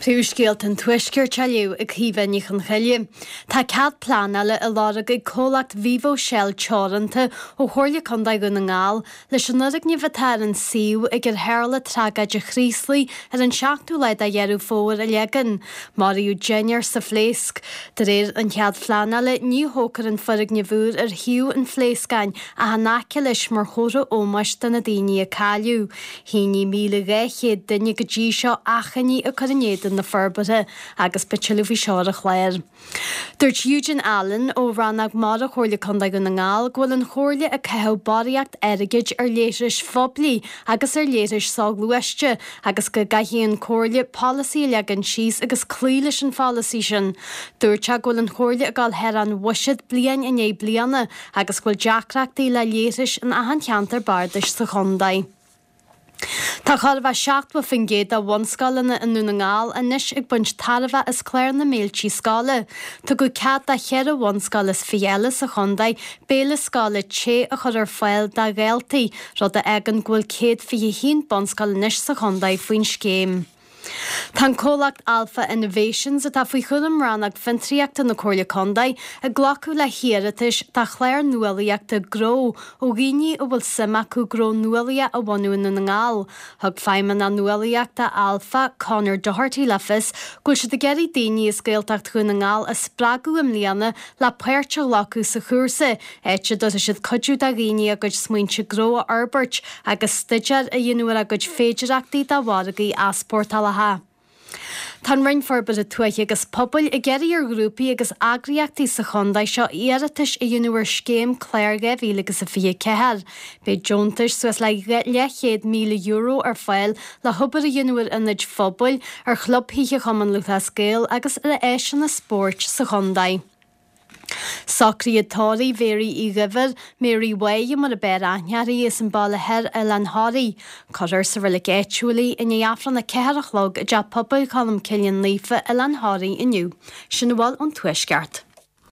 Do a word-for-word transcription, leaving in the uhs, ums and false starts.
Príomhscéalta an Tuaiscirt á léamh ag Caoimhe Ní Chonchoille. Tá cead pleanála á lorg ag comhlacht Vivo Shell Teoranta ó Chomhairle Contae Dhún na nGall leis an fhoirgneamh atá ar an suíomh ag ar tharla tragóid Chraoslaigh ar an seachtú lá de Dheireadh Fómhair a leagan. Maraíodh deichniúr sa phléasc. De réir an chead phleanála ní thógfar an foirgneamh úr ar shuíomh an phléascáin ach in aice leis mar chomhartha ómóis do na daoine a cailleadh. Shínigh míle dhá chéad duine go dtí seo achainí ag cur in éadan na forbartha agus beidh tuilleadh faoi seo ar an chlár. Dúirt Eugene Allen ó Rannóg Mara Chomhairle Contae Dhún na nGall go bhfuil an Chomhairle ag caitheamh barraíocht airgid ar leithris phoiblí agus ar leithris soghluaiste agus go gcaithfidh an Chomhairle polasaí a leagan síos agus cloí leis an pholasaí sin. Dúirt sé go bhfuil an Chomhairle ag dul thar an bhuiséad bliain i ndiaidh bliana agus go bhfuil deacrachtaí le leithris in achan cheantar bardais sa chontae. Tá chóir a bheith seachtó faoin gcéad de bhunscoileanna i nDún na nGall anois ag baint tairbhe as clár na mbéiltí scoile. Tugadh cead do cheithre bhunscoil is fiche eile sa chontae béile scoile te a chur ar fáil do dhaltaí, rud a fhágann go bhfuil céad fiche haon bunscoil anois sa chontae faoin scéim. Tá an comhlacht Alpha Innovations atá faoi chúram Rannóg Fiontraíochta na Comhairle Contae ag glacadh le hiarratais do chlár nuálaíochta gnó ó dhaoine a bhfuil suim acu gnó nuálaíoch a bhunú i nDún na nGall. Thug Feidhmeannach Nuálaíochta Alpha, Conor Doherty le fios go bhfuil siad ag iarraidh daoine as Gaeltacht Dhún na nGall a spreagadh i mbliana le páirt a ghlacadh sa chúrsa, áit a dtabharfaidh siad cuidiú do dhaoine a gcuid smaointe gnó a fhorbairt agus staidéar a dhéanamh ar a gcuid féidearthachtaí do mhargaí easpórtálacha. Tá an Roinn Forbartha Tuaithe agus Pobail ag iarraidh ar ghrúpaí agus eagraíochtaí sa chontae seo iarratais a dhéanamh ar scéim clár dhá mhíle agus a fiche ceathair. Beidh deontais suas le leathchéad míle euro ar fáil le hobair a dhéanamh ar ionaid phobail, ar chlubthithe Chumann Lúthchleas Gael agus ar áiseanna spóirt sa chontae. Socruithe tórraimh Mhéaraí Uí Dhuibhir, Mary Mháire mar ab fhearr aithne uirthi as an Bhaile Thoir, Oileán Thoraí. Cuirfear sa reilig áitiúil í i ndiaidh Aifreann a ceathair a chlog i dTeach Pobail Cholm Cille Naofa, Oileán Thoraí inniu. Sin a bhfuil ón Tuaisceart.